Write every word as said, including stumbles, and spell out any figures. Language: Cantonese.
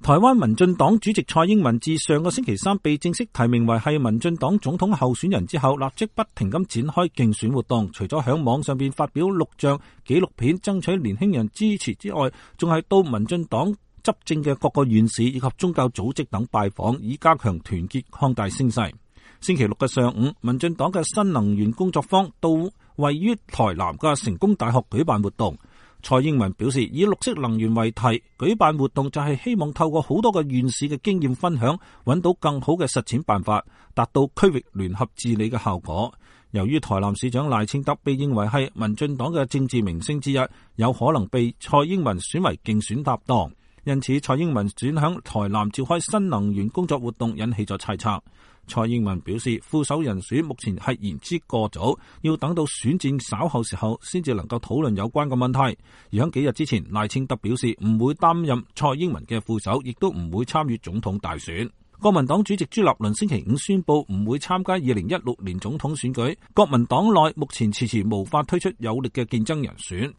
台灣民進黨主席蔡英文自上個星期三被正式提名為係民進黨總統候選人之後，立即不停咁展開競選活動，除咗響網上邊發表錄像紀錄片爭取年輕人支持之外，仲係到民進黨執政嘅各個縣市以及宗教組織等拜訪，以加強團結擴大聲勢。星期六嘅上午，民進黨嘅新能源工作坊到位於台南嘅成功大學舉辦活動。蔡英文表示，以綠色能源為題舉辦活動，就係希望透過好多個縣市嘅經驗分享，揾到更好嘅實踐辦法，達到區域聯合治理嘅效果。由於台南市長賴清德被認為係民進黨嘅政治明星之一，有可能被蔡英文選為競選搭檔，因此蔡英文轉向台南召開新能源工作活動，引起咗猜測。蔡英文表示，副手人選目前係言之過早，要等到選戰稍後時候先至能夠討論有關嘅問題。而喺幾日之前，賴清德表示唔會擔任蔡英文嘅副手，亦都唔會參與總統大選。國民黨主席朱立倫星期五宣布唔會參加二零一六年總統選舉，國民黨內目前遲遲無法推出有力嘅競爭人選。